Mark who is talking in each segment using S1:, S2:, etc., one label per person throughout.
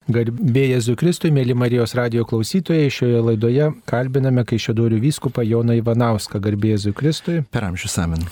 S1: Garbė Jėzui Kristui, mėly Marijos radijo klausytojai, šioje laidoje kalbiname Kaišiadorių vyskupą Joną Ivanauską. Garbė Jėzui Kristui.
S2: Per amžius amen.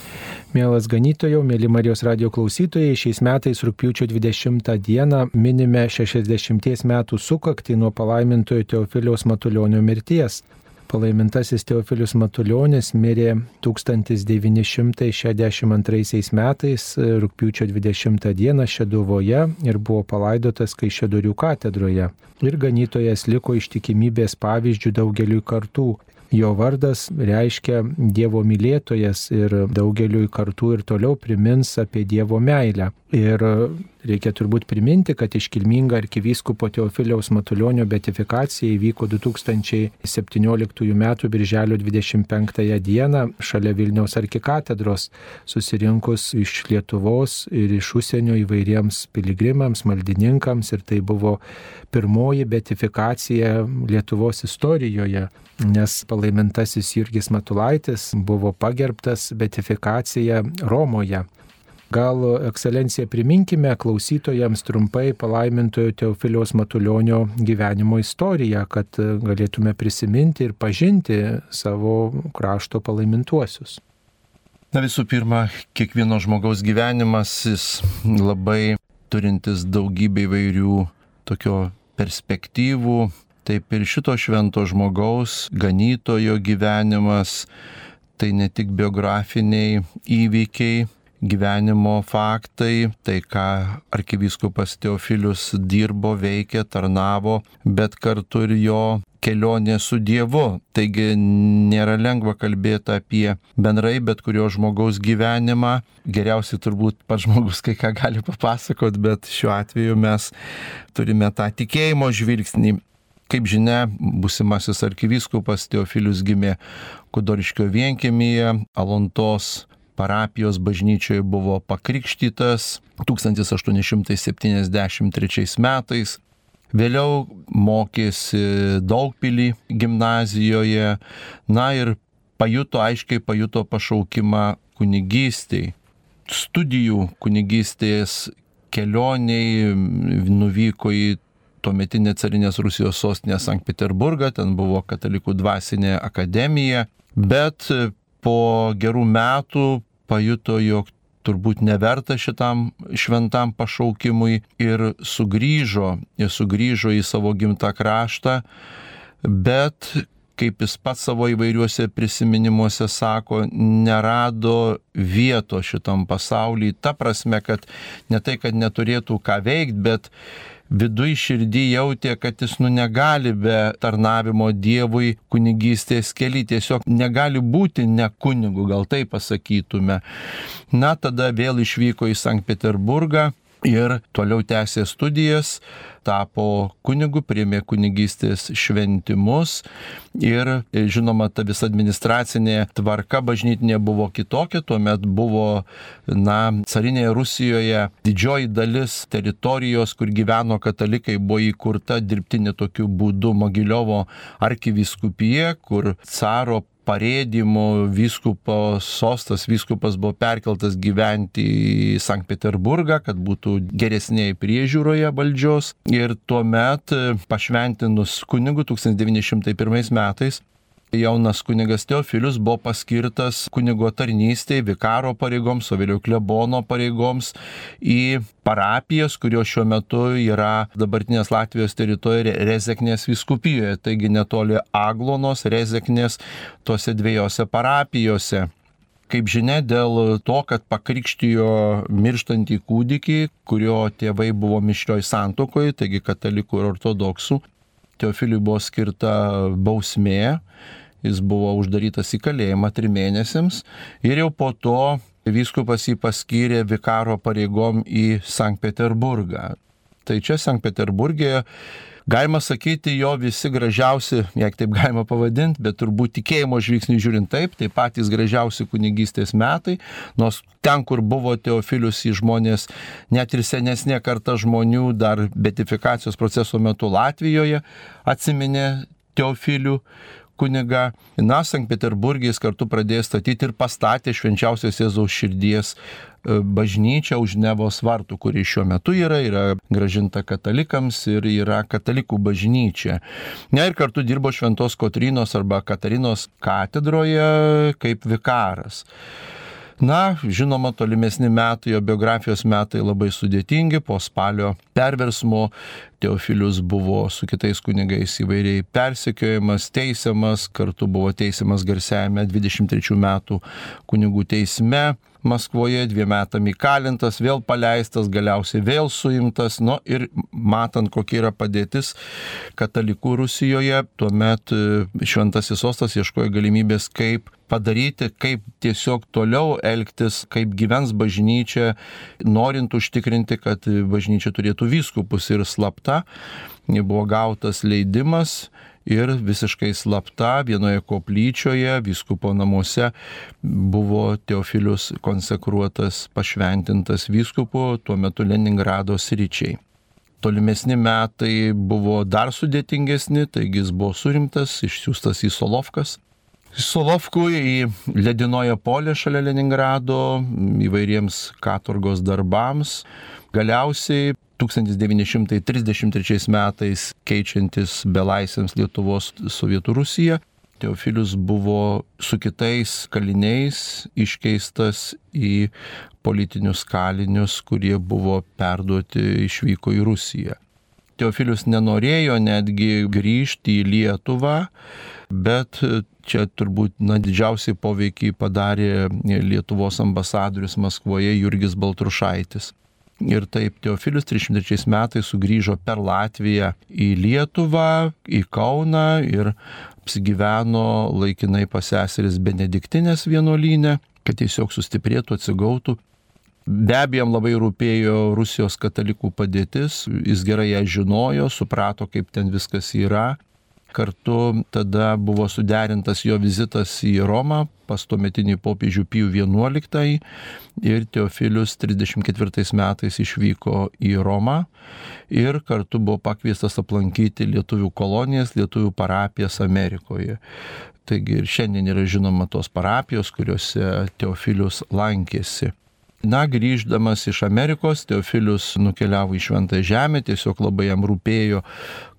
S1: Mielas ganytojau, mėly Marijos radijo klausytojai, šiais metais rugpjūčio 20 dieną minime 60 metų sukaktį nuo palaimintojo Teofiliaus Matulionio mirties. Palaimintasis Teofilius Matulionis mirė 1962 metais rugpjūčio 20 dieną Šeduvoje ir buvo palaidotas Kaišiadorių katedroje. Ir ganytojas liko ištikimybės pavyzdžių daugeliui kartų. Jo vardas reiškia Dievo mylėtojas ir daugeliui kartų ir toliau primins apie Dievo meilę. Ir reikia turbūt priminti, kad iškilminga arkivyskupo Teofiliaus Matulionio beatifikacija įvyko 2017 m. birželio 25 dieną šalia Vilniaus arkikatedros, susirinkus iš Lietuvos ir iš užsienio įvairiems piligrimams, maldininkams, ir tai buvo pirmoji beatifikacija Lietuvos istorijoje, nes palaimintasis Jurgis Matulaitis buvo pagerbtas beatifikacija Romoje. Gal, ekscelencija, priminkime klausytojams trumpai palaimintojo Teofiliaus Matulionio gyvenimo istoriją, kad galėtume prisiminti ir pažinti savo krašto palaimintuosius.
S2: Na, visų pirma, kiekvieno žmogaus gyvenimas, jis labai turintis daugybę įvairių tokio perspektyvų. Taip ir šito švento žmogaus, ganytojo gyvenimas, tai ne tik biografiniai įvykiai, gyvenimo faktai, tai ką arkivyskupas Teofilius dirbo, veikė, tarnavo, bet kartu ir jo kelionė su Dievu. Taigi nėra lengva kalbėti apie bendrai bet kurio žmogaus gyvenimą. Geriausiai turbūt pats žmogus kai ką gali papasakot, bet šiuo atveju mes turime tą tikėjimo žvilgsnį. Kaip žinia, būsimasis arkivyskupas Teofilius gimė Kudoriškio vienkiemyje, Alontos parapijos bažnyčioje buvo pakrikštytas 1873 metais. Vėliau mokėsi Daugpily gimnazijoje, na ir aiškiai pajuto pašaukimą kunigystei. Studijų kunigystės kelioniai nuvyko į tuometinė carinės Rusijos sostinė Sankt Peterburgą, ten buvo katalikų dvasinė akademija, bet po gerų metų pajuto, jog turbūt neverta šitam šventam pašaukimui ir sugrįžo į savo gimtą kraštą, bet, kaip jis pats savo įvairiuose prisiminimuose sako, nerado vieto šitam pasaulyje, ta prasme, kad ne tai, kad neturėtų ką veikti, bet viduj širdį jautė, kad jis negali be tarnavimo Dievui kunigystės kely, tiesiog negali būti ne kunigu, gal taip pasakytume. Na, tada vėl išvyko į Sankt Peterburgą ir toliau tęsė studijas, tapo kunigu, priėmė kunigystės šventimus ir, žinoma, ta visa administracinė tvarka bažnytinė buvo kitokia, tuomet buvo, carinėje Rusijoje didžioji dalis teritorijos, kur gyveno katalikai, buvo įkurta dirbtinė tokiu būdu Mogiliovo arkivyskupija, kur caro parėdimo vyskupo sostas, vyskupas buvo perkeltas gyventi į Sankt Peterburgą, kad būtų geresnėje priežiūroje valdžios. Ir tuomet pašventinus kunigu 1901 metais jaunas kunigas Teofilius buvo paskirtas kunigo tarnystėje, vikaro pareigoms, o vėliau klebono pareigoms į parapijas, kurios šiuo metu yra dabartinės Latvijos teritorijoje Rezeknės vyskupijoje, taigi netoli Aglonos, Rezeknės, tose dviejose parapijose. Kaip žinia, dėl to, kad pakrikštijo mirštantį kūdikį, kurio tėvai buvo mišrioj santuokoje, taigi katalikų ir ortodoksų, Teofiliui buvo skirta bausmė, jis buvo uždarytas į kalėjimą 3 mėnesiams ir jau po to vyskupas jį paskyrė vikaro pareigom į Sankt Peterburgą. Tai čia Sankt Peterburgė, galima sakyti, jo visi gražiausi, jeigu taip galima pavadinti, bet turbūt tikėjimo žvilgsnį žiūrint taip, tai patys gražiausi kunigystės metai, nors ten, kur buvo Teofilius, į žmonės, net ir senesnė karta žmonių dar beatifikacijos proceso metu Latvijoje atsiminė Teofilių, kunigą. Na, Sankt Peterburge jis kartu pradėjo statyti ir pastatė Švenčiausios Jėzaus širdies bažnyčią už Nevos vartų, kuri šiuo metu yra grąžinta katalikams ir yra katalikų bažnyčia. Na ir kartu dirbo Šventos Kotrynos arba Katarinos katedroje kaip vikaras. Na, žinoma, tolimesni metai, jo biografijos metai labai sudėtingi. Po Spalio perversmo Teofilius buvo su kitais kunigais įvairiai persekiojamas, teisiamas, kartu buvo teisiamas garsiajame 23 metų kunigų teisme Maskvoje, 2 metam įkalintas, vėl paleistas, galiausiai vėl suimtas. Nu ir matant, kokia yra padėtis katalikų Rusijoje, tuomet Šventasis Sostas ieškojo galimybės, kaip padaryti, kaip tiesiog toliau elgtis, kaip gyvens bažnyčia, norint užtikrinti, kad bažnyčia turėtų vyskupus. Ir slapta buvo gautas leidimas ir visiškai slapta vienoje koplyčioje, vyskupo namuose, buvo Teofilius konsekruotas, pašventintas vyskupu, tuo metu Leningrado sričiai. Tolimesni metai buvo dar sudėtingesni, taigi jis buvo surimtas, išsiųstas į Solovkas. Solovkų į ledinoje polė šalia Leningrado įvairiems katorgos darbams. Galiausiai 1933 metais keičiantis belaisviams Lietuvos Sovietų Rusiją, Teofilius buvo su kitais kaliniais iškeistas į politinius kalinius, kurie buvo perduoti, išvyko į Rusiją. Teofilius nenorėjo netgi grįžti į Lietuvą, bet čia turbūt didžiausiai poveikį padarė Lietuvos ambasadorius Maskvoje Jurgis Baltrušaitis. Ir taip Teofilius 33 metais sugrįžo per Latviją į Lietuvą, į Kauną ir apsigyveno laikinai pas seseris Benediktinės vienuolyne, kad tiesiog sustiprėtų, atsigautų. Be abejo, jam labai rūpėjo Rusijos katalikų padėtis, jis gerai ją žinojo, suprato, kaip ten viskas yra. Kartu tada buvo suderintas jo vizitas į Romą pas tuometinį popiežių Pijų XI ir Teofilius 34 metais išvyko į Romą ir kartu buvo pakviestas aplankyti lietuvių kolonijas, lietuvių parapijas Amerikoje. Taigi ir šiandien yra žinoma tos parapijos, kuriuose Teofilius lankėsi. Na, grįždamas iš Amerikos, Teofilius nukeliavo į Šventąją Žemę, tiesiog labai jam rūpėjo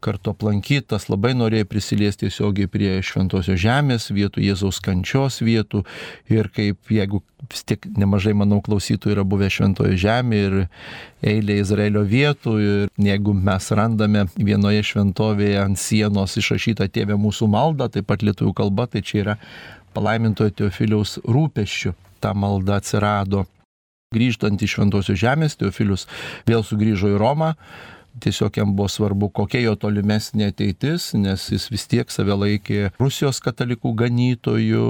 S2: kartu aplankytas, labai norėjo prisiliesti tiesiogiai prie Šventosios Žemės vietų, Jėzaus kančios vietų ir kaip, jeigu vis tiek nemažai, manau, klausytojų yra buvę Šventoje Žemėje ir eilė Izraelio vietų ir jeigu mes randame vienoje šventovėje ant sienos išrašytą Tėve mūsų maldą, taip pat lietuvių kalba, tai čia yra palaimintojo Teofiliaus rūpesčių ta malda atsirado. Grįžtant iš Šventosios Žemės, Teofilius vėl sugrįžo į Romą. Tiesiog jam buvo svarbu, kokia jo tolimesnė ateitis, nes jis vis tiek save laikė Rusijos katalikų ganytojų.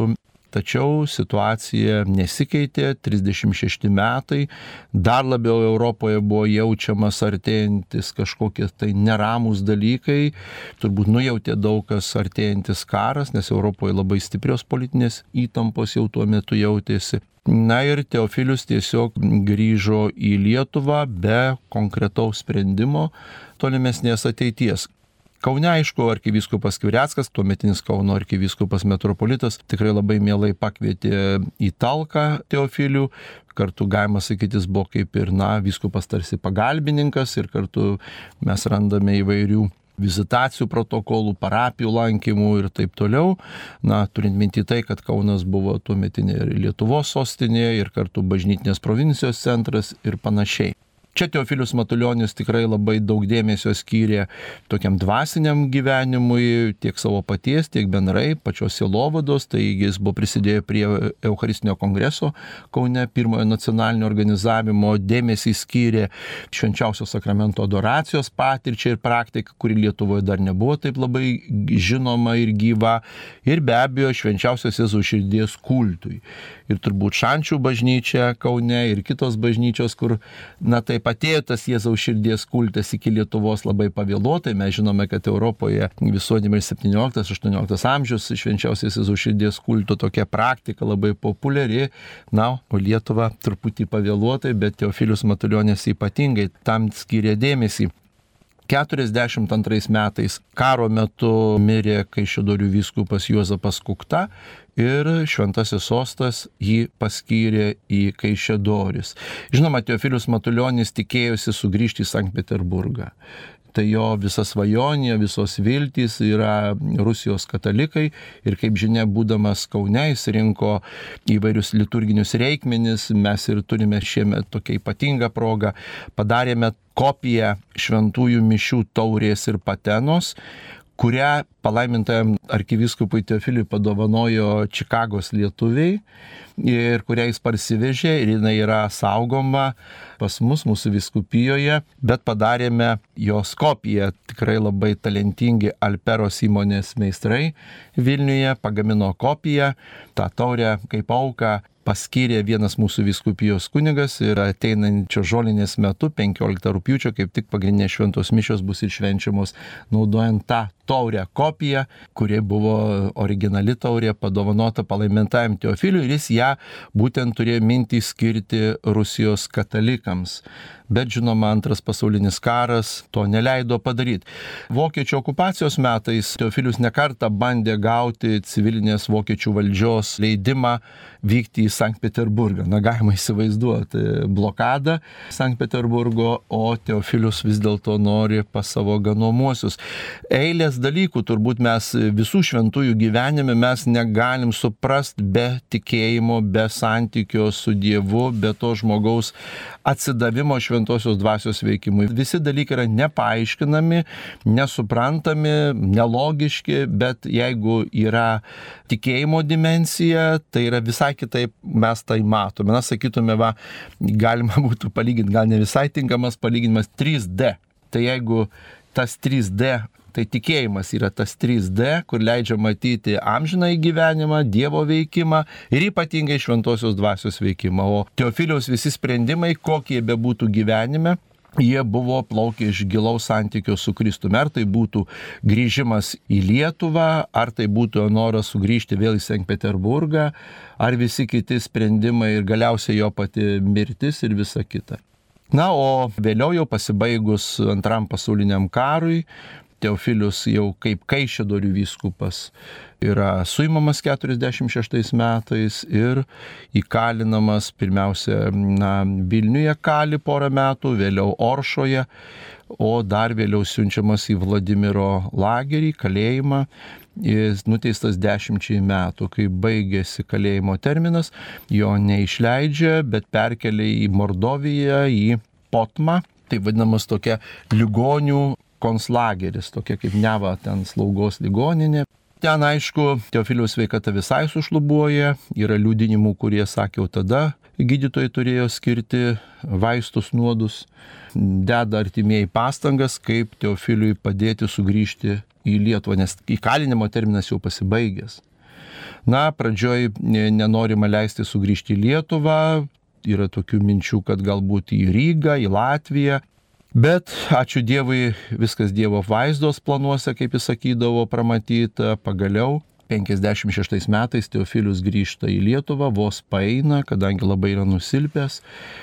S2: Tačiau situacija nesikeitė, 36 metai, dar labiau Europoje buvo jaučiamas artėjantis kažkokie tai neramus dalykai, turbūt nujautė daug kas artėjantis karas, nes Europoje labai stiprios politinės įtampos jau tuo metu jautėsi. Na ir Teofilius tiesiog grįžo į Lietuvą be konkretaus sprendimo tolimesnės ateities. Kaune, aišku, arkivyskupas Skvireckas, tuometinis Kauno arkivyskupas metropolitas, tikrai labai mielai pakvietė į talką Teofilių. Kartu galima sakyti, jis buvo kaip ir, vyskupas tarsi pagalbininkas ir kartu mes randame įvairių vizitacijų protokolų, parapijų lankymų ir taip toliau. Turint minti tai, kad Kaunas buvo tuometinė Lietuvos sostinė ir kartu bažnytinės provincijos centras ir panašiai. Čia Teofilius Matulionis tikrai labai daug dėmesio skyrė tokiam dvasiniam gyvenimui, tiek savo paties, tiek bendrai pačios sielovados, taigi jis buvo prisidėjo prie Eucharistinio kongreso Kaune, pirmojo nacionalinio organizavimo, dėmesį skyrė švenčiausio sakramento adoracijos patirčiai ir praktikai, kuri Lietuvoje dar nebuvo taip labai žinoma ir gyva, ir be abejo švenčiausios Jėzaus širdies kultui. Ir turbūt Šančių bažnyčia Kaune ir kitos bažnyčios, kur, taip atėjo tas Jėzaus širdies kultas iki Lietuvos labai pavėluotai. Mes žinome, kad Europoje visuomenėje 17-18 amžius švenčiausios Jėzaus širdies kulto tokia praktika labai populiari. O Lietuva truputį pavėluotai, bet Teofilius Matulionis ypatingai tam skyrė dėmesį. 42 metais karo metu mirė Kaišiadorių vyskupas Juozapas Kukta ir Šventasis Sostas jį paskyrė į Kaišiadoris. Žinoma, Teofilius Matulionis tikėjosi sugrįžti į Sankt Peterburgą. Tai jo visa svajonė, visos viltys yra Rusijos katalikai ir kaip žinia, būdamas Kaune, jis rinko įvairius liturginius reikmenis. Mes ir turime šiemet tokią ypatingą progą. Padarėme kopiją šventųjų mišių taurės ir patenos, kurią palaimintajam arkivyskupui Teofiliui padovanojo Čikagos lietuviai ir kurią jis parsivežė ir jinai yra saugoma pas mus, mūsų vyskupijoje, bet padarėme jos kopiją. Tikrai labai talentingi Alperos įmonės meistrai Vilniuje pagamino kopiją, tą taurę kaip auką paskyrė vienas mūsų vyskupijos kunigas ir ateinančio žolinės metu, 15 rugpjūčio, kaip tik pagrindinės šventos mišios bus ir švenčiamos naudojant tą taurę kopiją, kuri buvo originali taurė padovanota palaimintajam Teofiliui ir jis ją būtent turėjo mintį skirti Rusijos katalikams. Bet žinoma, Antras pasaulinis karas to neleido padaryti. Vokiečių okupacijos metais Teofilius nekartą bandė gauti civilinės vokiečių valdžios leidimą vykti į Sankt Peterburgą. Na, galima įsivaizduoti blokadą Sankt Peterburgo, o Teofilius vis dėlto nori pas savo ganomuosius. Eilės dalykų turbūt mes visų šventųjų gyvenime mes negalim suprasti be tikėjimo, be santykio su Dievu, be to žmogaus atsidavimo šventosios dvasios veikimui. Visi dalykai yra nepaaiškinami, nesuprantami, nelogiški, bet jeigu yra tikėjimo dimensija, tai yra visai kitaip mes tai matome. Mes sakytume, galima būtų palyginti, gal ne visai tinkamas palyginimas, 3D. Tai jeigu tas 3D, tai tikėjimas yra tas 3D, kur leidžia matyti amžinąjį gyvenimą, Dievo veikimą ir ypatingai šventosios dvasios veikimą. O Teofiliaus visi sprendimai, kokie bebūtų gyvenime, jie buvo plaukę iš gilaus santykio su Kristumi. Ar tai būtų grįžimas į Lietuvą, ar tai būtų noras sugrįžti vėl į Sankt Peterburgą, ar visi kiti sprendimai ir galiausiai jo pati mirtis ir visa kita. Na, o vėliau jau pasibaigus Antram pasauliniam karui, Teofilius jau kaip Kaišiadorių vyskupas yra suimamas 46 metais ir įkalinamas pirmiausia Vilniuje kali porą metų, vėliau Oršoje, o dar vėliau siunčiamas į Vladimiro lagerį, kalėjimą. Jis nuteistas 10 metų, kai baigėsi kalėjimo terminas, jo neišleidžia, bet perkelia į Mordoviją, į Potmą, tai vadinamas tokia ligonių konslageris, tokia kaip Neva ten slaugos ligoninė. Ten, aišku, Teofiliaus sveikata visai sušlubuoja, yra liudinimų, kurie sakė, jau tada gydytojai turėjo skirti vaistus nuodus, deda artimieji pastangas, kaip Teofiliui padėti sugrįžti į Lietuvą, nes įkalinimo terminas jau pasibaigęs. Na, pradžioj nenorima leisti sugrįžti į Lietuvą, yra tokių minčių, kad galbūt į Rygą, į Latviją. Bet, ačiū Dievui, viskas Dievo vaizdos planuose, kaip jis sakydavo, pramatyta. Pagaliau 56 metais Teofilius grįžta į Lietuvą, vos paeina, kadangi labai yra nusilpęs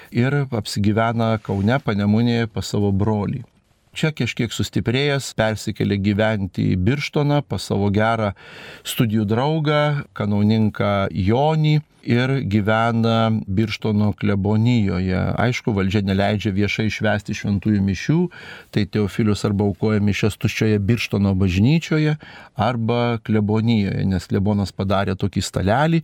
S2: ir apsigyvena Kaune, Panemunėje pas savo brolį. Čia kažkiek sustiprėjęs, persikėlė gyventi į Birštoną pas savo gerą studijų draugą, kanauninką Jonį ir gyvena Birštono klebonijoje. Aišku, valdžia neleidžia viešai švęsti šventųjų mišių, tai Teofilius arba aukoja mišias tuščioje Birštono bažnyčioje arba klebonijoje, nes klebonas padarė tokį stalelį,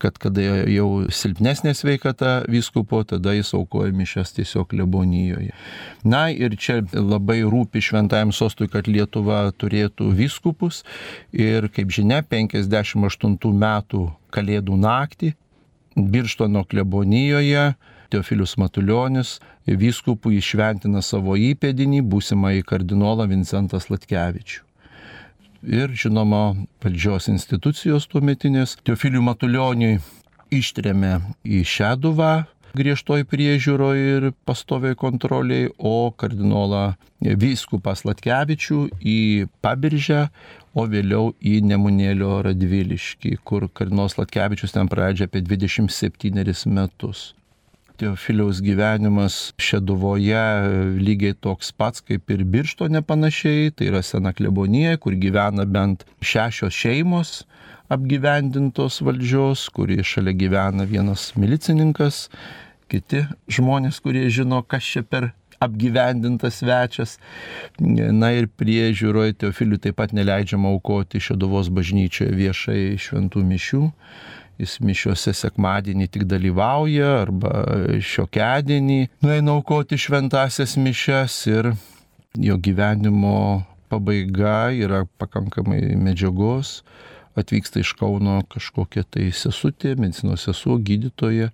S2: kad kada jau silpnesnė sveikata vyskupo, tada jis aukoja mišias tiesiog klebonijoje. Na ir čia labai rūpi šventajam sostui, kad Lietuva turėtų vyskupus ir, kaip žinia, 58 metų Kalėdų naktį Birštono klebonijoje Teofilius Matulionis vyskupui įšventina savo įpėdinį, būsimąjį kardinolą Vincentą Sladkevičių. Ir, žinoma, valdžios institucijos tuometinės Teofiliui Matulioniui ištrėmė į Šeduvą griežtoj priežiūroje ir pastoviai kontroliai, o kardinolą vyskupą Sladkevičių į Pabiržę, o vėliau į Nemunėlio Radviliškį, kur kardinolas Sladkevičius ten praleidžia apie 27 metus. Teofiliaus gyvenimas Šeduvoje lygiai toks pats kaip ir Birštone panašiai, tai yra sena klebonija, kur gyvena bent 6 šeimos apgyvendintos valdžios, kurie šalia gyvena vienas milicininkas, kiti žmonės, kurie žino, kas čia per apgyvendintas svečias. Na ir priežiūroje Teofiliui taip pat neleidžiama aukoti Šeduvos bažnyčioje viešai šventų mišių. Jis mišiuose sekmadienį tik dalyvauja arba šiokiadienį nueina aukoti šventasias mišias ir jo gyvenimo pabaiga yra pakankamai medžiagos. Atvyksta iš Kauno kažkokia tai sesutė, medicinos sesuo, gydytoja,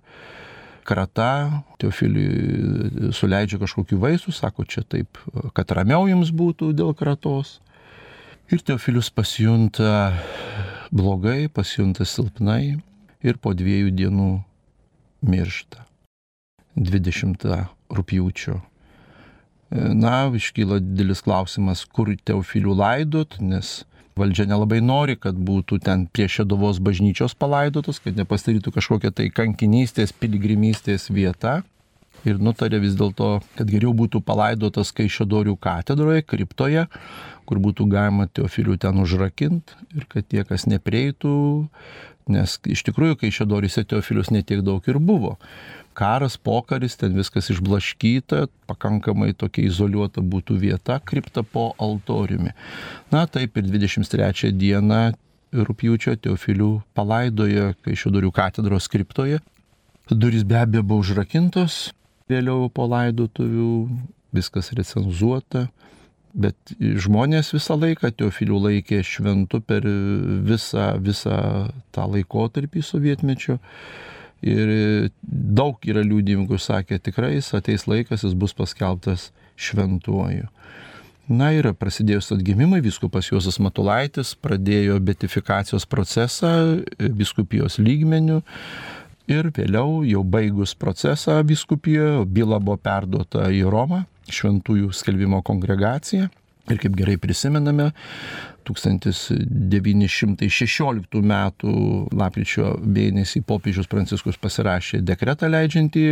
S2: krata, Teofiliui suleidžia kažkokių vaistų, sako čia taip, kad ramiau jums būtų dėl kratos. Ir Teofilius pasijunta blogai, pasijunta silpnai ir po 2 dienų miršta. 20 rugpjūčio. Na, iškyla didelis klausimas, kur Teofilių laidot, nes valdžia nelabai nori, kad būtų ten prie Šeduvos bažnyčios palaidotas, kad nepasidarytų kažkokia tai kankinystės, piligrimystės vieta. Ir nutarė vis dėlto, kad geriau būtų palaidotas Kaišiadorių katedroje, kriptoje, kur būtų galima Teofilių ten užrakinti ir kad tie, kas neprieitų, nes iš tikrųjų Kaišiadoryse Teofilius netiek daug ir buvo. Karas, pokaris, ten viskas išblaškyta, pakankamai tokia izoliuota būtų vieta, kripta po altoriumi. Na taip ir 23 dieną rugpjūčio Teofilių palaidojo Kaišiadorių katedros kriptoje. Durys be abejo buvo užrakintos, vėliau po laidotuvių, viskas recenzuota, bet žmonės visą laiką Teofilių laikė šventu per visą tą laikotarpį sovietmečio. Ir daug yra liudininkų, sakė, tikrai jis ateis laikas, jis bus paskelbtas šventuoju. Na ir prasidėjus atgimimai, vyskupas Juozas Matulaitis pradėjo beatifikacijos procesą vyskupijos lygmeniu ir vėliau, jau baigus procesą vyskupijoje, byla buvo perduota į Romą, šventųjų skelbimo kongregaciją. Ir kaip gerai prisimename, 1916 metų lapkričio mėnesį popiežius Pranciškus pasirašė dekretą leidžiantį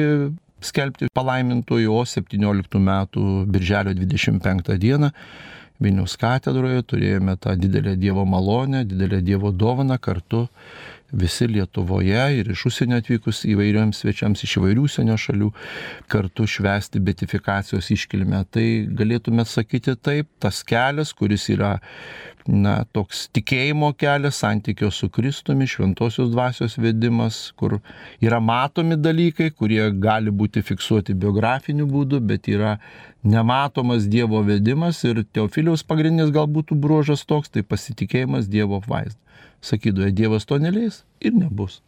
S2: skelbti palaimintojų, o 17 metų birželio 25 dieną Vilniaus katedroje turėjome tą didelę Dievo malonę, didelę Dievo dovaną kartu visi Lietuvoje ir iš užsienio atvykus įvairiems svečiams iš įvairių užsienio šalių kartu švęsti beatifikacijos iškilmę. Tai galėtume sakyti taip, tas kelias, kuris yra toks tikėjimo kelias, santykio su Kristumi, šventosios dvasios vedimas, kur yra matomi dalykai, kurie gali būti fiksuoti biografiniu būdu, bet yra nematomas Dievo vedimas ir Teofiliaus pagrindinis galbūt bruožas toks, tai pasitikėjimas Dievo apvaizda. Sakydavo, Dievas to neleis ir nebus.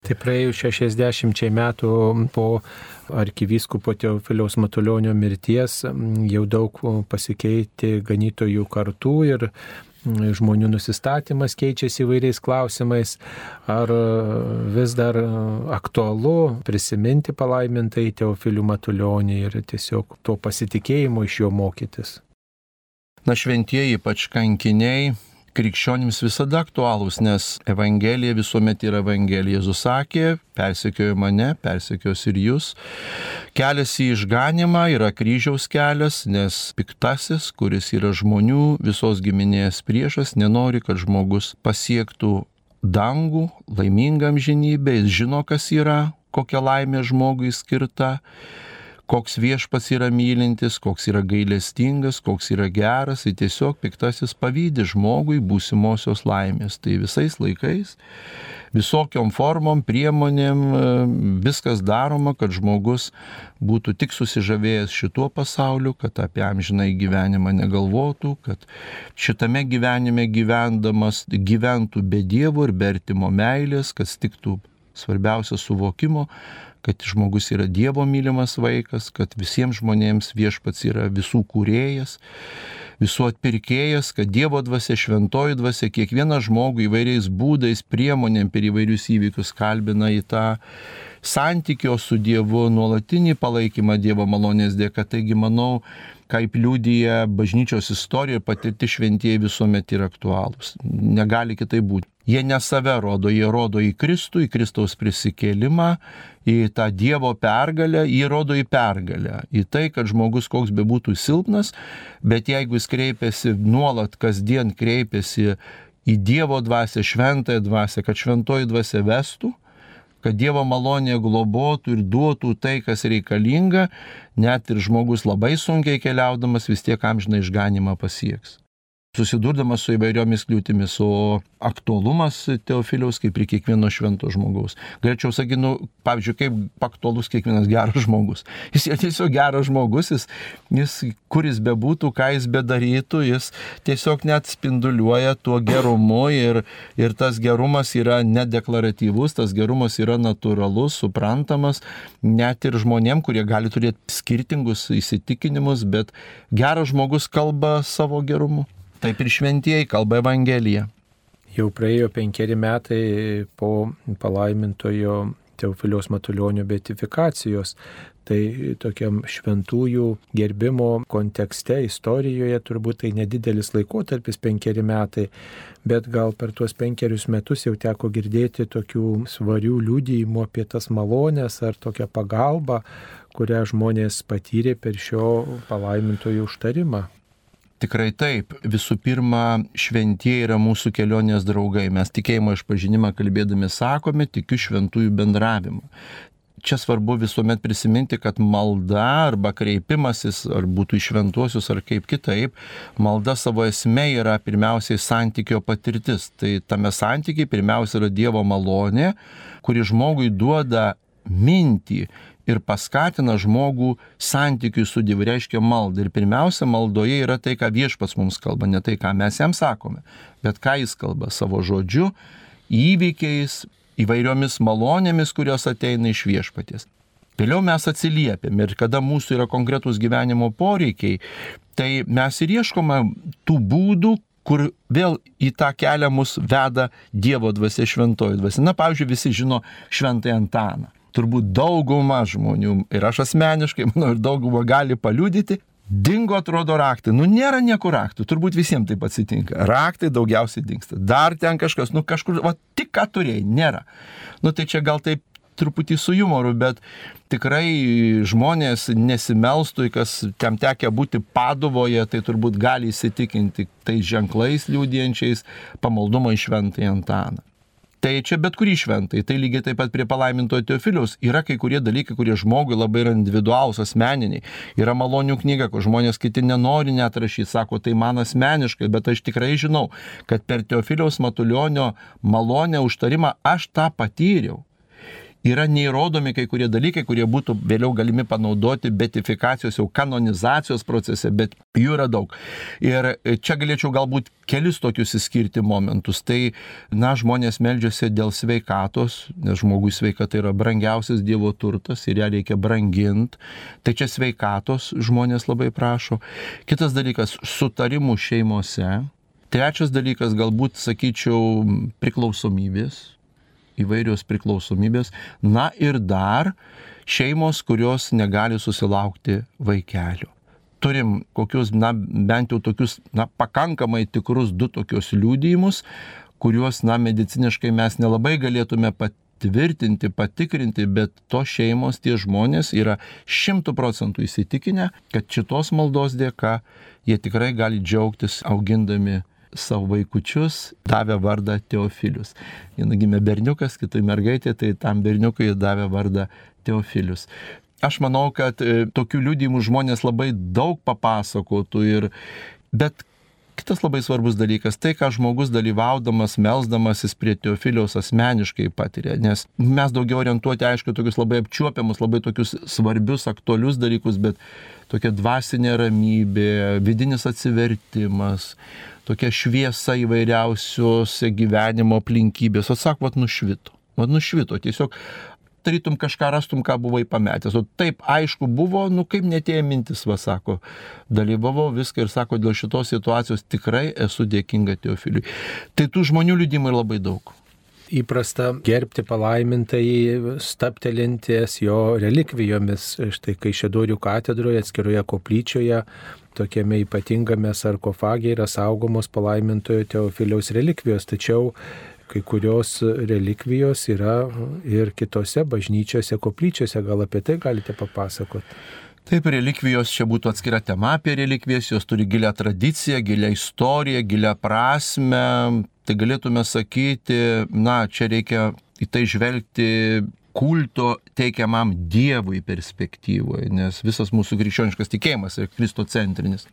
S1: Tai praėjus 60 metų po arkivyskupo Teofiliaus Matulionio mirties jau daug pasikeitė ganytojų kartų ir žmonių nusistatymas keičiasi įvairiais klausimais. Ar vis dar aktualu prisiminti palaimintai Teofilių Matulionį ir tiesiog to pasitikėjimo iš jo mokytis?
S2: Šventieji, ypač kankiniai, krikščionims visada aktualūs, nes Evangelija visuomet yra Evangelija. Jėzus sakė, persekiojo mane, persekios ir jūs. Kelias į išganimą yra kryžiaus kelias, nes piktasis, kuris yra žmonių visos giminės priešas, nenori, kad žmogus pasiektų dangų, laimingą amžinybę, jis žino, kas yra, kokia laimė žmogui skirta, koks viešpats yra mylintis, koks yra gailestingas, koks yra geras, tai tiesiog piktasis pavydi žmogui būsimosios laimės. Tai visais laikais, visokiom formom, priemonėm, viskas daroma, kad žmogus būtų tik susižavėjęs šituo pasauliu, kad apie amžinai gyvenimą negalvotų, kad šitame gyvenime gyvendamas gyventų be Dievo ir be artimo meilės, kad stiktų svarbiausia suvokimo, kad žmogus yra Dievo mylimas vaikas, kad visiems žmonėms viešpats yra visų kūrėjas, visų atpirkėjas, kad Dievo dvasia, šventoji dvasia, kiekvieną žmogų įvairiais būdais, priemonėm per įvairius įvykius kalbina į tą santykio su Dievu, nuolatinį palaikymą Dievo malonės dėka. Taigi, manau, kaip liudija bažnyčios istorija, patirti šventieji visuomet yra aktualūs. Negali kitai būti. Jie ne save rodo, jie rodo į Kristų, į Kristaus prisikėlimą, į tą Dievo pergalę, jie rodo į pergalę, į tai, kad žmogus koks bebūtų silpnas, bet jeigu jis kreipiasi nuolat, kasdien kreipiasi į Dievo dvasią, šventąją dvasią, kad šventoji dvasia vestų, kad Dievo malonė globotų ir duotų tai, kas reikalinga, net ir žmogus labai sunkiai keliaudamas vis tiek amžiną išganymą pasieks. Susidurdamas su įvairiomis kliūtimis, o aktualumas Teofiliaus kaip ir kiekvieno švento žmogaus. Galėčiau sakyti, pavyzdžiui, kaip aktualus kiekvienas geras žmogus. Jis yra tiesiog geras žmogus, jis kur jis bebūtų, ką jis bedarytų, jis tiesiog net spinduliuoja tuo gerumu ir tas gerumas yra nedeklaratyvus, tas gerumas yra natūralus, suprantamas, net ir žmonėm, kurie gali turėti skirtingus įsitikinimus, bet geras žmogus kalba savo gerumu. Taip ir šventieji kalba Evangeliją.
S1: Jau praėjo 5 metai po palaimintojo Teofiliaus Matulionio beatifikacijos. Tai tokiam šventųjų gerbimo kontekste, istorijoje turbūt tai nedidelis laikotarpis 5 metai, bet gal per tuos 5 metus jau teko girdėti tokių svarių liudijimų apie tas malonės ar tokią pagalbą, kurią žmonės patyrė per šio palaimintojo užtarimą.
S2: Tikrai taip. Visų pirma, šventieji yra mūsų kelionės draugai. Mes tikėjimo išpažinimą kalbėdami sakome, tikiu šventųjų bendravimą. Čia svarbu visuomet prisiminti, kad malda arba kreipimasis, ar būtų į šventuosius, ar kaip kitaip, malda savo esmė yra pirmiausiai santykio patirtis. Tai tame santykiai pirmiausia yra Dievo malonė, kuri žmogui duoda mintį ir paskatina žmogų santykiui su Dievu, reiškia maldą. Ir pirmiausia, maldoje yra tai, ką Viešpats mums kalba, ne tai, ką mes jam sakome, bet ką jis kalba savo žodžiu, įvykiais, įvairiomis malonėmis, kurios ateina iš Viešpaties. Vėliau mes atsiliepiam ir kada mūsų yra konkretūs gyvenimo poreikiai, tai mes ir ieškome tų būdų, kur vėl į tą kelią mus veda Dievo dvasia, šventoji dvasia. Na, pavyzdžiui, visi žino šventąjį Antaną. Turbūt dauguma žmonių, ir aš asmeniškai, manau, ir dauguma gali paliudyti, dingo atrodo raktai. Nėra niekur raktų, turbūt visiems taip atsitinka. Raktai daugiausiai dingsta. Dar ten kažkas, kažkur, tik ką turėjai, nėra. Tai čia gal taip truputį su jumoru, bet tikrai žmonės nesimelstų, kas ten tekia būti Paduvoje, tai turbūt gali įsitikinti tais ženklais liudijančiais pamaldumą į šventąjį Antaną. Tai čia bet kurį šventai, tai lygiai taip pat prie palaimintojo Teofiliaus yra kai kurie dalykai, kurie žmogui labai yra individualūs, asmeniniai. Yra malonių knyga, kur žmonės kiti nenori net rašyti, sako, tai man asmeniškai, bet aš tikrai žinau, kad per Teofiliaus Matulionio malonę užtarimą aš tą patyriau. Yra neįrodomi kai kurie dalykai, kurie būtų vėliau galimi panaudoti beatifikacijos, jau kanonizacijos procese, bet jų yra daug. Ir čia galėčiau galbūt kelis tokius įskirti momentus. Tai, žmonės meldžiasi dėl sveikatos, nes žmogui sveikata yra brangiausias Dievo turtas ir ją reikia branginti. Tai čia sveikatos žmonės labai prašo. Kitas dalykas - sutarimų šeimose. Trečias dalykas, galbūt, sakyčiau, priklausomybės. Įvairios priklausomybės. Ir dar šeimos, kurios negali susilaukti vaikelio. Turim kokius, bent jau tokius, pakankamai tikrus 2 tokius liudijimus, kuriuos, mediciniškai mes nelabai galėtume patvirtinti, patikrinti, bet tos šeimos, tie žmonės yra 100% įsitikinę, kad šitos maldos dėka jie tikrai gali džiaugtis augindami savo vaikučius, davė vardą Teofilius. Viena gimė berniukas, kitai mergaitė, tai tam berniukui davė vardą Teofilius. Aš manau, kad tokių liudijimų žmonės labai daug papasakotų, bet kitas labai svarbus dalykas, tai, ką žmogus dalyvaudamas, melsdamasis prie Teofiliaus asmeniškai patiria, nes mes daugiau orientuoti, aišku, tokius labai apčiuopiamus, labai tokius svarbius, aktualius dalykus, bet tokia dvasinė ramybė, vidinis atsivertimas, tokia šviesa įvairiausiose gyvenimo aplinkybės. Sako, nušvito, tiesiog tarytum kažką rastum, ką buvai pametęs. O taip aišku buvo, kaip netėjo mintis, sako, dalyvavau viską ir sako, dėl šitos situacijos tikrai esu dėkinga Teofiliui. Tai tų žmonių liudimų yra labai daug.
S1: įprasta gerbti palaimintai staptelinties jo relikvijomis. Štai Kaišiadorių katedroje atskiroje koplyčioje tokiame ypatingame sarkofage yra saugomos palaimintojo Teofiliaus relikvijos, tačiau kai kurios relikvijos yra ir kitose bažnyčiose, koplyčiose. Gal apie tai galite papasakoti?
S2: Taip, relikvijos čia būtų atskira tema apie relikvijas, jos turi gilią tradiciją, gilią istoriją, gilią prasme. Tai galėtume sakyti, čia reikia į tai žvelgti kulto teikiamam Dievui perspektyvoje, nes visas mūsų krikščioniškas tikėjimas yra kristocentrinis.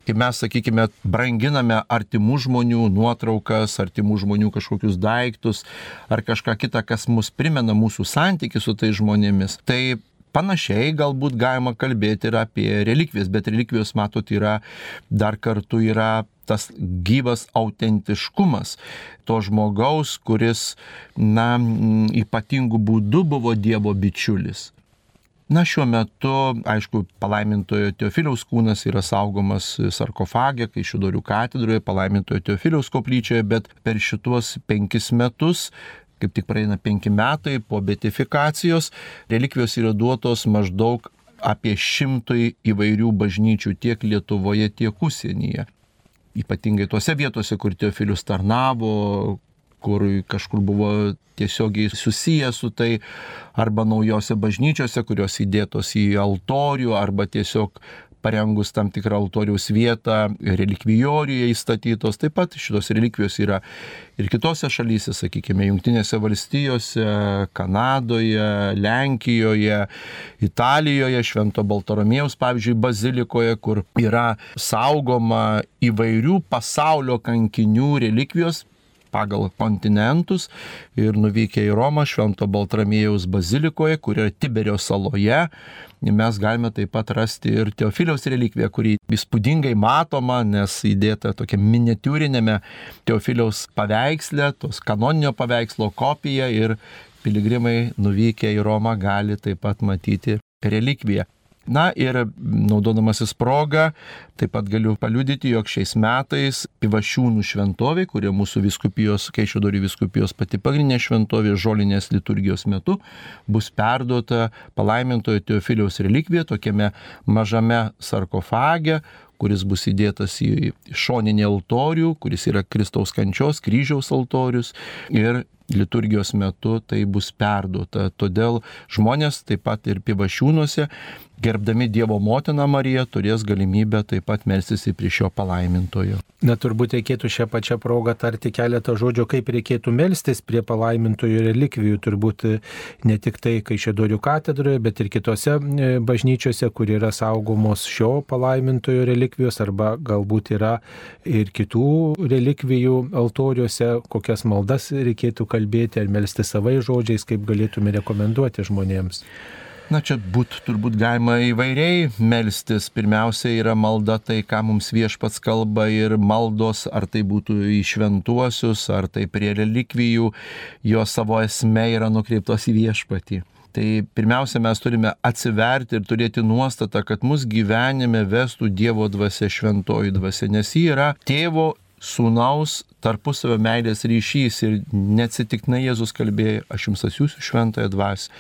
S2: Kai mes, sakykime, branginame artimų žmonių nuotraukas, artimų žmonių kažkokius daiktus ar kažką kitą, kas mus primena mūsų santykį su tais žmonėmis, tai panašiai galbūt galima kalbėti ir apie relikvijas, bet relikvijos, matot, dar kartu yra tas gyvas autentiškumas to žmogaus, kuris, ypatingų būdų buvo Dievo bičiulis. Šiuo metu, aišku, palaimintojo Teofiliaus kūnas yra saugomas sarkofage, Kaišiadorių katedroje, palaimintojo Teofiliaus koplyčioje, bet per šituos 5 metus, kaip tik praeina 5 metai po beatifikacijos, relikvijos yra duotos maždaug apie 100 įvairių bažnyčių tiek Lietuvoje, tiek užsienyje. Ypatingai tuose vietose, kur Teofilius tarnavo, kur kažkur buvo tiesiogiai susijęs su tai, arba naujose bažnyčiose, kurios įdėtos į altorių, arba tiesiog parengus tam tikrą altoriaus vietą, relikvijoriuje įstatytos. Taip pat šitos relikvijos yra ir kitose šalyse, sakykime, Jungtinėse valstijose, Kanadoje, Lenkijoje, Italijoje, Švento Baltramiejaus, pavyzdžiui, bazilikoje, kur yra saugoma įvairių pasaulio kankinių relikvijos pagal kontinentus, ir nuvykę į Romą, Švento Baltramiejaus bazilikoje, kur yra Tiberio saloje, mes galime taip pat rasti ir Teofiliaus relikviją, kuri įspūdingai matoma, nes įdėta tokia miniatiūrinėme Teofiliaus paveiksle, tos kanoninio paveikslo kopija, ir piligrimai nuvykę į Romą gali taip pat matyti relikviją. Ir naudodamasis progą, taip pat galiu paliudyti, jog šiais metais Pivašiūnų šventovė, kurie mūsų vyskupijos, Kaišiadorių vyskupijos pati pagrindinė šventovė, žolinės liturgijos metu bus perduota palaimintojo Teofiliaus relikvija tokiame mažame sarkofage, kuris bus įdėtas į šoninį altorių, kuris yra Kristaus kančios, kryžiaus altorius, ir liturgijos metu tai bus perduota. Todėl žmonės taip pat ir Pivašiūnuose, gerbdami Dievo motiną Mariją, turės galimybę taip pat melstis prie šio palaimintojo.
S1: Turbūt reikėtų šią pačią progą tarti keletą žodžių, kaip reikėtų melstis prie palaimintojo relikvijų. Turbūt ne tik tai Kaišiadorių katedroje, bet ir kitose bažnyčiose, kur yra saugomos šio palaimintojo relikvijos, arba galbūt yra ir kitų relikvijų altoriuose, kokias maldas reikėtų kalbėti ar melsti savais žodžiais, kaip galėtume rekomenduoti žmonėms.
S2: Čia turbūt galima įvairiai melstis. Pirmiausia yra malda, tai ką mums Viešpats kalba, ir maldos, ar tai būtų į šventuosius, ar tai prie relikvijų, jo savo esmė yra nukreiptos į Viešpatį. Tai pirmiausia, mes turime atsiverti ir turėti nuostatą, kad mus gyvenime vestų Dievo dvasia, šventoji dvasia, nes ji yra tėvo, sūnaus tarpusavio meilės ryšys, ir neatsitiktinai Jėzus kalbėjo, aš jums atsiųsiu šventąją dvasią.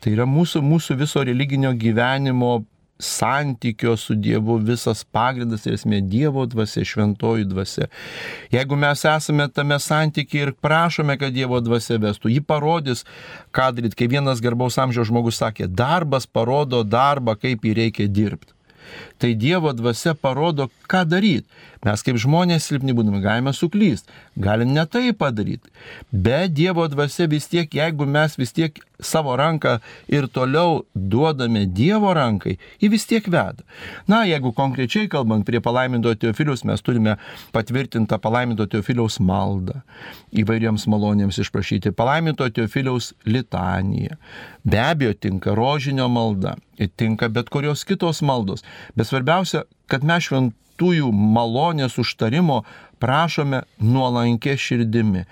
S2: Tai yra mūsų viso religinio gyvenimo santykio su Dievu visas pagrindas ir esmė, Dievo dvasia, šventoji dvasia. Jeigu mes esame tame santykiai ir prašome, kad Dievo dvasia vestų, ji parodys, ką daryti. Kai vienas garbaus amžiaus žmogus sakė, darbas parodo darbą, kaip jį reikia dirbti. Tai Dievo dvasia parodo, ką daryti. Mes kaip žmonės silpni būdami galime suklysti, galim ne tai padaryti. Bet Dievo dvasia vis tiek, jeigu mes vis tiek savo ranką ir toliau duodame Dievo rankai, ji vis tiek veda. Jeigu konkrečiai kalbant prie palaimintojo Teofiliaus, mes turime patvirtintą palaimintojo Teofiliaus maldą, įvairiems malonėms išprašyti, palaimintojo Teofiliaus litaniją. Be abejo, tinka rožinio malda, tinka bet kurios kitos maldos. Bet svarbiausia, kad mes šventųjų malonės užtarimo prašome nuolankia širdimi.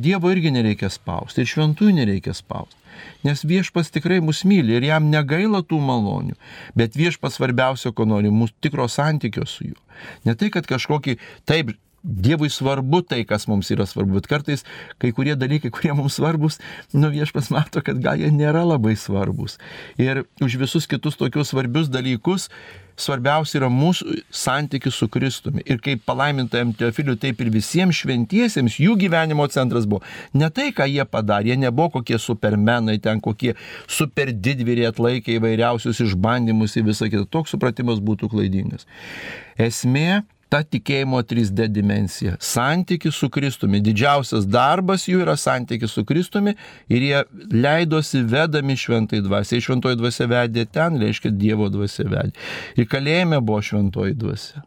S2: Dievo irgi nereikia spausti, ir šventųjų nereikia spausti. Nes Viešpats tikrai mus myli ir jam negaila tų malonių. Bet Viešpats svarbiausia, ko nori, mūsų tikro santykio su juo. Ne tai, kad kažkokį, taip, Dievui svarbu tai, kas mums yra svarbu, bet kartais kai kurie dalykai, kurie mums svarbus, Viešpats mato, kad gal jie nėra labai svarbus. Ir už visus kitus tokius svarbius dalykus svarbiausia yra mūsų santykis su Kristumi. Ir kaip palaimintajam Teofiliui, taip ir visiems šventiesiems jų gyvenimo centras buvo. Ne tai, ką jie padarė, jie nebuvo kokie supermenai, ten kokie super didvyriai atlaikė įvairiausius išbandymus ir visą kitą. Toks supratimas būtų klaidingas. Esmė ta tikėjimo 3D dimensija. Santykis su Kristumi. Didžiausias darbas jų yra santykis su Kristumi ir jie leidosi vedami šventai dvasiai. Šventoji dvasia vedė ten, reiškia Dievo dvasia vedė. Ir kalėjime buvo šventoji dvasia.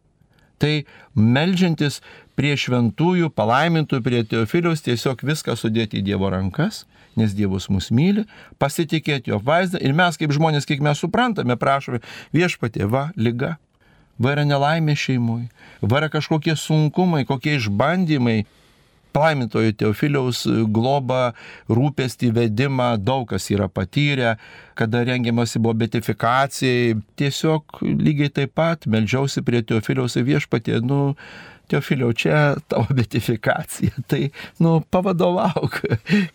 S2: Tai meldžiantis prie šventųjų, palaimintųjų, prie Teofiliaus tiesiog viską sudėti į Dievo rankas, nes Dievas mus myli, pasitikėti jo apvaizdą ir mes kaip žmonės, kiek mes suprantame, prašome Viešpatie, va, liga. Va yra nelaimė šeimui, va yra kažkokie sunkumai, kokie išbandymai. Palaimintojo Teofiliaus globą, rūpestį, vedimą, daug kas yra patyrę, kada rengiamasi buvo beatifikacijai. Tiesiog lygiai taip pat meldžiausi prie Teofiliaus ir Viešpatie, Teofiliau, čia tavo beatifikacija, tai, pavadovauk,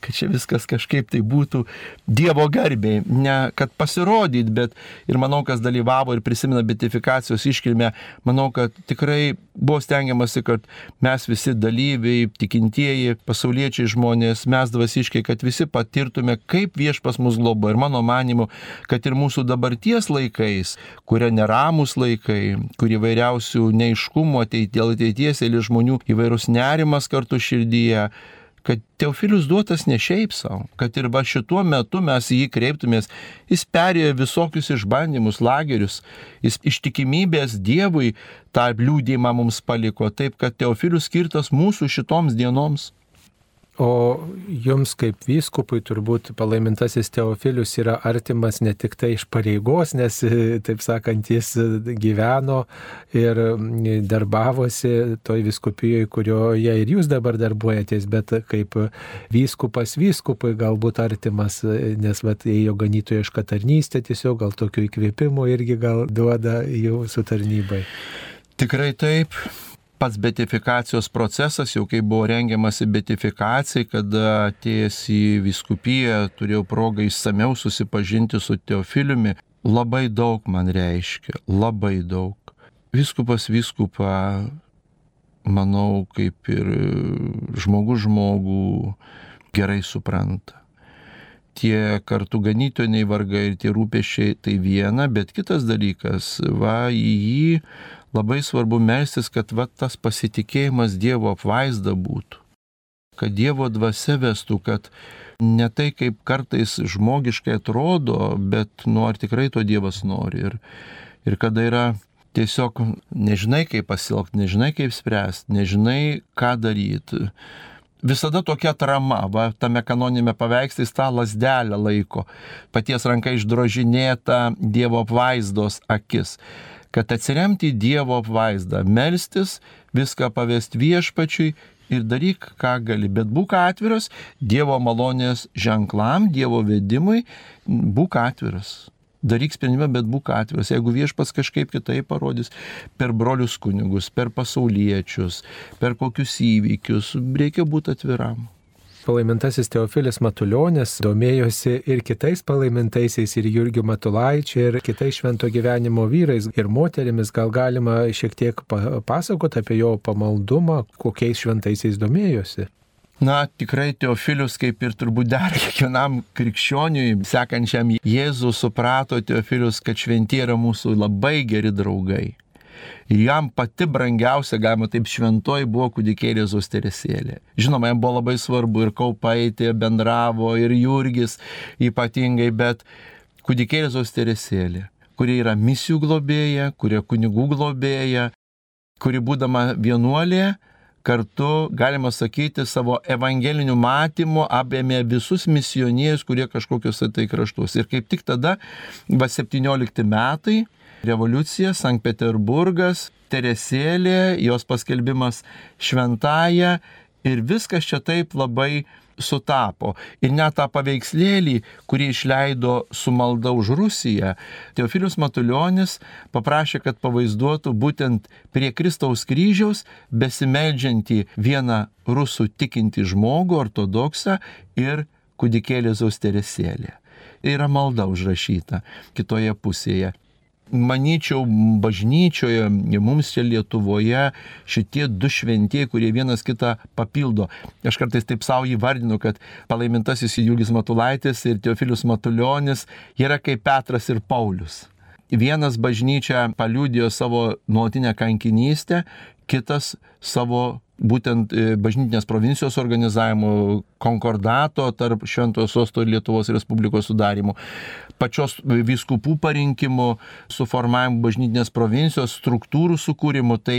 S2: kad čia viskas kažkaip tai būtų Dievo garbei, ne kad pasirodyt, bet ir manau, kas dalyvavo ir prisimena beatifikacijos iškilmę, manau, kad tikrai buvo stengiamasi, kad mes visi dalyviai, tikintieji, pasauliečiai žmonės, mes dvasiškai, kad visi patirtume, kaip Viešpas mus globo. Ir mano manimu, kad ir mūsų dabarties laikais, kurie neramus laikai, kurie vairiausių neiškumų dėl ateities ir žmonių įvairūs nerimas kartu širdyje, kad Teofilius duotas ne šiaip savo, kad ir šituo metu mes jį kreiptumės, jis perėjo visokius išbandymus, lagerius, jis ištikimybės Dievui tą liūdėjimą mums paliko, taip kad Teofilius skirtas mūsų šitoms dienoms.
S1: O jums kaip vyskupui turbūt palaimintasis Teofilius yra artimas ne tik tai iš pareigos, nes, taip sakant, jis gyveno ir darbavosi toj vyskupijoje, kurioje ir jūs dabar darbuojatės, bet kaip vyskupas vyskupui galbūt artimas, nes ėjo ganytojiška tarnystė, tiesiog gal tokių įkvėpimų irgi gal duoda jūsų tarnybai.
S2: Tikrai taip. Pats beatifikacijos procesas, jau kai buvo rengiamasi beatifikacijai, kada atėjęs į vyskupiją, turėjau progą išsamiau susipažinti su Teofiliumi, labai daug man reiškia, labai daug. Vyskupas vyskupą, manau, kaip ir žmogus žmogų gerai supranta. Tie kartu ganytojai vargai ir tie rūpesčiai tai viena, bet kitas dalykas, į jį labai svarbu melstis, kad tas pasitikėjimas Dievo apvaizda būtų, kad Dievo dvasia vestų, kad ne tai kaip kartais žmogiškai atrodo, bet ar tikrai to Dievas nori. Ir kada yra tiesiog nežinai kaip pasielgti, nežinai kaip spręsti, nežinai ką daryti. Visada tokia atrama, tame kanoniniame paveiksle tą lazdelę laiko, paties ranka išdrožinėta Dievo apvaizdos akis, kad atsiremti į Dievo apvaizdą, melstis, viską pavesti Viešpačiui ir daryk, ką gali, bet būk atviras Dievo malonės ženklam, Dievo vedimui, būk atviras. Daryk sprendimą, bet būk atviras. Jeigu Viešpats kažkaip kitaip parodys per brolius kunigus, per pasauliečius, per kokius įvykius, reikia būti atviram.
S1: Palaimintasis Teofilis Matulionis domėjosi ir kitais palaimintaisiais, ir Jurgiu Matulaičiu, ir kitais švento gyvenimo vyrais ir moterimis. Gal galima šiek tiek pasakoti apie jo pamaldumą, kokiais šventaisiais domėjosi?
S2: Tikrai Teofilius, kaip ir turbūt dar kiekvienam krikščioniui, sekančiam Jėzų, suprato Teofilius, kad šventieji yra mūsų labai geri draugai. Ir jam pati brangiausia, galima taip, šventoji buvo kūdikėlė Jėzaus Teresėlė. Žinoma, jam buvo labai svarbu ir Kaupaitė bendravo, ir Jurgis ypatingai, bet kūdikėlė Jėzaus Teresėlė, kuri yra misijų globėja, kuri kunigų globėja, kuri būdama vienuolė, kartu, galima sakyti, savo evangeliniu matymu apėmė visus misionierius, kurie kažkokiuose tai kraštuose. Ir kaip tik tada, 17 metai, revoliucija, Sankt Peterburgas, Teresėlė, jos paskelbimas šventąja ir viskas čia taip labai sutapo. Ir net tą paveikslėlį, kurį išleido su malda už Rusiją, Teofilius Matulionis paprašė, kad pavaizduotų būtent prie Kristaus kryžiaus besimeldžiantį vieną rusų tikintį žmogų, ortodoksą ir kūdikėlį Zausteresėlė. Yra malda užrašyta kitoje pusėje. Manyčiau, bažnyčioje, mums čia Lietuvoje šitie du šventieji, kurie vienas kitą papildo. Aš kartais taip savo įvardinu, kad palaimintasis Jurgis Matulaitis ir Teofilius Matulionis yra kaip Petras ir Paulius. Vienas bažnyčia paliudijo savo nuolatinę kankinystę, kitas savo būtent bažnytinės provincijos organizavimo, konkordato tarp Šventojo Sosto ir Lietuvos Respublikos sudarimo, pačios vyskupų parinkimo, suformavimo bažnytinės provincijos, struktūrų sukūrimo. Tai,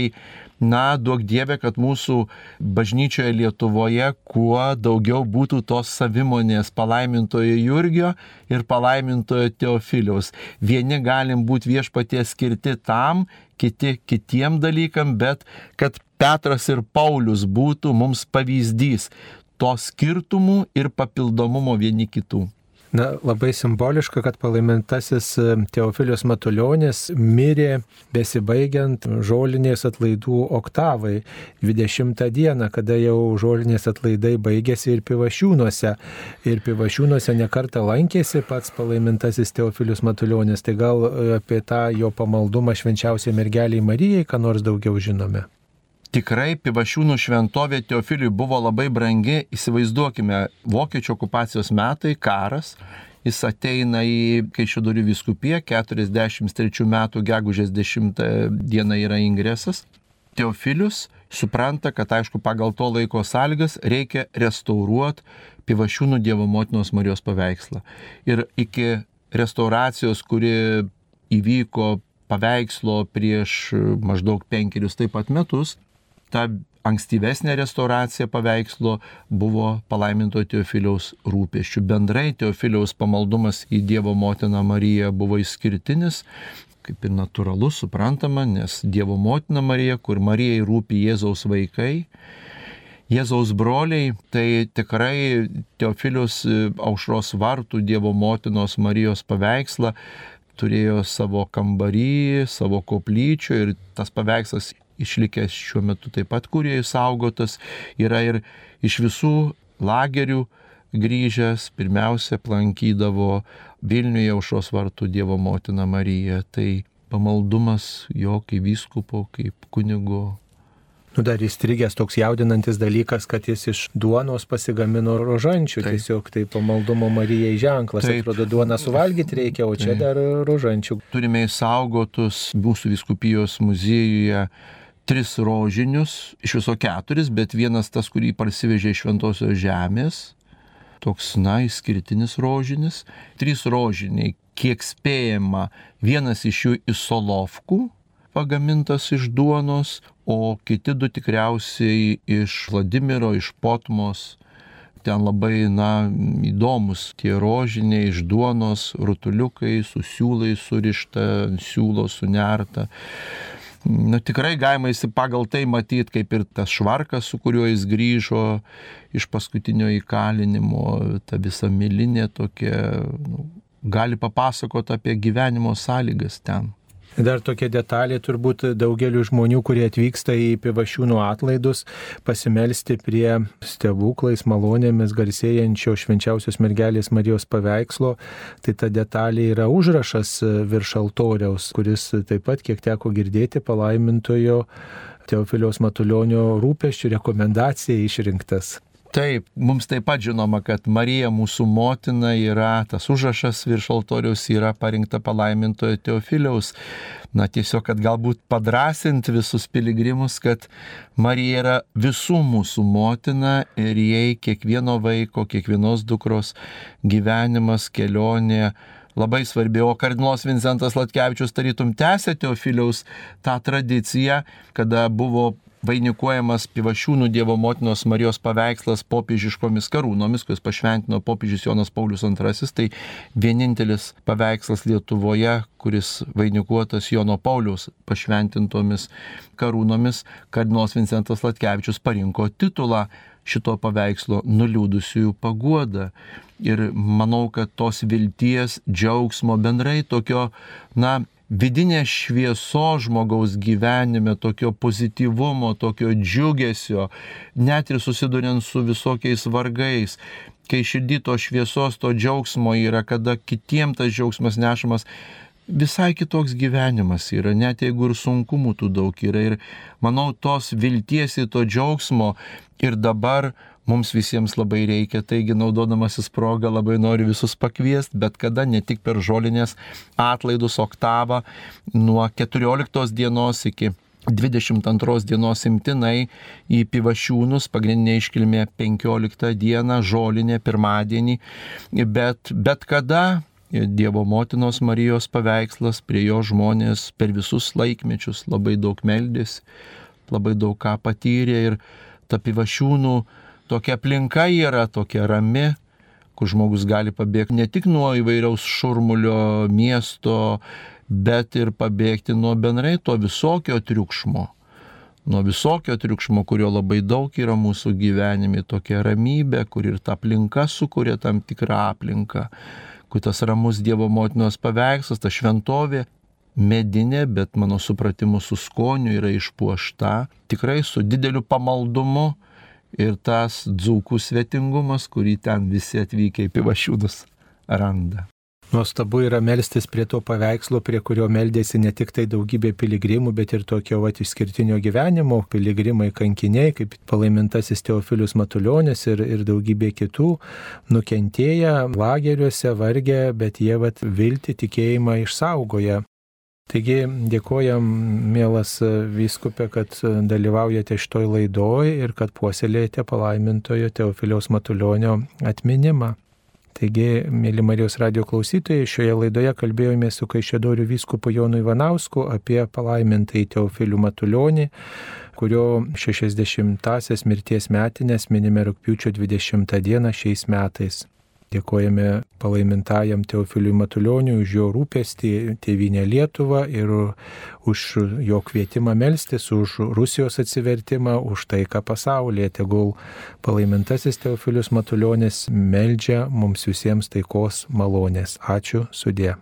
S2: duok Dieve, kad mūsų bažnyčioje Lietuvoje kuo daugiau būtų tos savimonės palaimintojo Jurgio ir palaimintojo Teofiliaus. Vieni galim būti Viešpaties skirti tam, kiti kitiem dalykam, bet kad Petras ir Paulius būtų mums pavyzdys to skirtumų ir papildomumo vieni kitų.
S1: Labai simboliška, kad palaimintasis Teofilius Matulionis mirė besibaigiant žolinės atlaidų oktavai 20 dieną, kada jau žolinės atlaidai baigėsi ir Pivašiūnuose. Ir Pivašiūnuose nekartą lankėsi pats palaimintasis Teofilius Matulionis. Tai gal apie tą jo pamaldumą švenčiausiai mergeliai Marijai, ką nors daugiau žinome?
S2: Tikrai Pivašiūnų šventovė Teofiliui buvo labai brangi. Įsivaizduokime, vokiečių okupacijos metai, karas. Jis ateina į Kaišiadorių vyskupiją, 43 metų gegužės 10 dieną yra ingresas. Teofilius supranta, kad aišku pagal to laiko sąlygas reikia restauruoti Pivašiūnų Dievo motinos Marijos paveikslą. Ir iki restauracijos, kuri įvyko paveikslo prieš maždaug 5 taip pat metus, ta ankstyvesnė restauracija paveikslo buvo palaimintojo Teofiliaus rūpesčių. Bendrai Teofiliaus pamaldumas į Dievo motiną Mariją buvo išskirtinis, kaip ir natūralu, suprantama, nes Dievo motina Marija, kur Marijai rūpi Jėzaus vaikai, Jėzaus broliai, tai tikrai Teofilius Aušros vartų Dievo motinos Marijos paveikslą turėjo savo kambarį, savo koplyčių ir tas paveikslas išlikęs šiuo metu taip pat, kurie saugotas, yra ir iš visų lagerių grįžęs, pirmiausia aplankydavo Vilniuje Aušros vartų Dievo motiną Mariją. Tai pamaldumas jo kaip vyskupo, kaip kunigo.
S1: Dar įstrigęs toks jaudinantis dalykas, kad jis iš duonos pasigamino rožančių. Taip. Tiesiog tai pamaldumo Marijai ženklas. Taip. Atrodo, duoną suvalgyti reikia, o čia dar rožančių.
S2: Turime įsaugotus mūsų vyskupijos muziejuje 3 rožinius, iš viso 4, bet vienas tas, kurį parsivežė iš Šventosios žemės, toks, išskirtinis rožinis. 3 rožiniai, kiek spėjama, vienas iš jų iš Solovkų, pagamintas iš duonos, o kiti 2 tikriausiai iš Vladimiro, iš Potmos. Ten labai, įdomus tie rožiniai iš duonos, rutuliukai, su siūlai surišta, siūlo sunerta. Tikrai galima pagal tai matyti, kaip ir tas švarkas, su kuriuo jis grįžo iš paskutinio įkalinimo, ta visa milinė tokia, gali papasakoti apie gyvenimo sąlygas ten.
S1: Dar tokia detalė turbūt daugeliu žmonių, kurie atvyksta į Pivašiūnų atlaidus, pasimelsti prie stebuklais, malonėmis garsėjančio švenčiausios mergelės Marijos paveikslo. Tai ta detalė yra užrašas virš altoriaus, kuris taip pat, kiek teko girdėti, palaimintojo Teofiliaus Matulionio rūpesčių rekomendacija išrinktas.
S2: Taip, mums taip pat žinoma, kad Marija mūsų motina yra, tas užrašas virš altoriaus yra parinkta palaimintojo Teofiliaus. Tiesiog, kad galbūt padrąsinti visus piligrimus, kad Marija yra visų mūsų motina ir jai kiekvieno vaiko, kiekvienos dukros gyvenimas, kelionė labai svarbi. O kardinolas Vincentas Latkevičius tarytum tęsė Teofiliaus tą tradiciją, kada buvo vainikuojamas Pivašiūnų Dievo motinos Marijos paveikslas popiežiškomis karūnomis, kuris pašventino popiežius Jonas Paulius II, tai vienintelis paveikslas Lietuvoje, kuris vainikuotas Jono Pauliaus pašventintomis karūnomis. Kardinolas Vincentas Latkevičius parinko titulą šito paveikslo Nuliūdusiųjų paguoda. Ir manau, kad tos vilties, džiaugsmo, bendrai tokio, vidinės šviesos žmogaus gyvenime, tokio pozityvumo, tokio džiugesio, net ir susiduriant su visokiais vargais, kai širdį to šviesos, to džiaugsmo yra, kada kitiem tas džiaugsmas nešamas, visai kitoks gyvenimas yra, net jeigu ir sunkumų tų daug yra. Ir manau, tos vilties ir to džiaugsmo ir dabar mums visiems labai reikia, taigi naudodamasis progą labai noriu visus pakviesti, bet kada, ne tik per žolinės atlaidus oktavą, nuo 14 dienos iki 22 dienos imtinai į Pivašiūnus, pagrindinė iškilmė 15 dieną, žolinė pirmadienį, bet kada Dievo motinos Marijos paveikslas, prie jo žmonės per visus laikmečius labai daug meldėsi, labai daug ką patyrė ir ta Pivašiūnų tokia aplinka yra tokia rami, kur žmogus gali pabėgti ne tik nuo įvairiaus šurmulio miesto, bet ir pabėgti nuo bendrai to visokio triukšmo. Nuo visokio triukšmo, kurio labai daug yra mūsų gyvenime, tokia ramybė, kur ir ta aplinka sukuria tam tikrą aplinką, kur tas ramus Dievo motinos paveikslas, ta šventovė medinė, bet mano supratimu su skoniu yra išpuošta, tikrai su dideliu pamaldumu. Ir tas dzūkų svetingumas, kurį ten visi atvykę į Pivašiūnus randa.
S1: Nuostabu yra melstis prie to paveikslo, prie kurio meldėsi ne tik tai daugybė piligrimų, bet ir tokio išskirtinio gyvenimo, piligrimai kankiniai, kaip palaimintasis Teofilius Matulionis ir daugybė kitų, nukentėję lageriuose, vargę, bet jie viltį, tikėjimą išsaugoja. Taigi dėkojam, mielas vyskupė, kad dalyvaujate šitoj laidoj ir kad puoselėjate palaimintojo Teofiliaus Matulionio atminimą. Taigi, mėly Marijos radijo klausytojai, šioje laidoje kalbėjome su Kaišiadorių vyskupu Jonu Ivanausku apie palaimintąjį Teofilių Matulionį, kurio 60-asias mirties metinės minime rugpjūčio 20 dieną šiais metais. Dėkojame palaimintajam Teofiliui Matulioniui už jo rūpestį tėvynę Lietuvą ir už jo kvietimą melstis, už Rusijos atsivertimą, už taiką pasaulyje. Tegul palaimintasis Teofilius Matulionis meldžia mums visiems taikos malonės. Ačiū, sudie.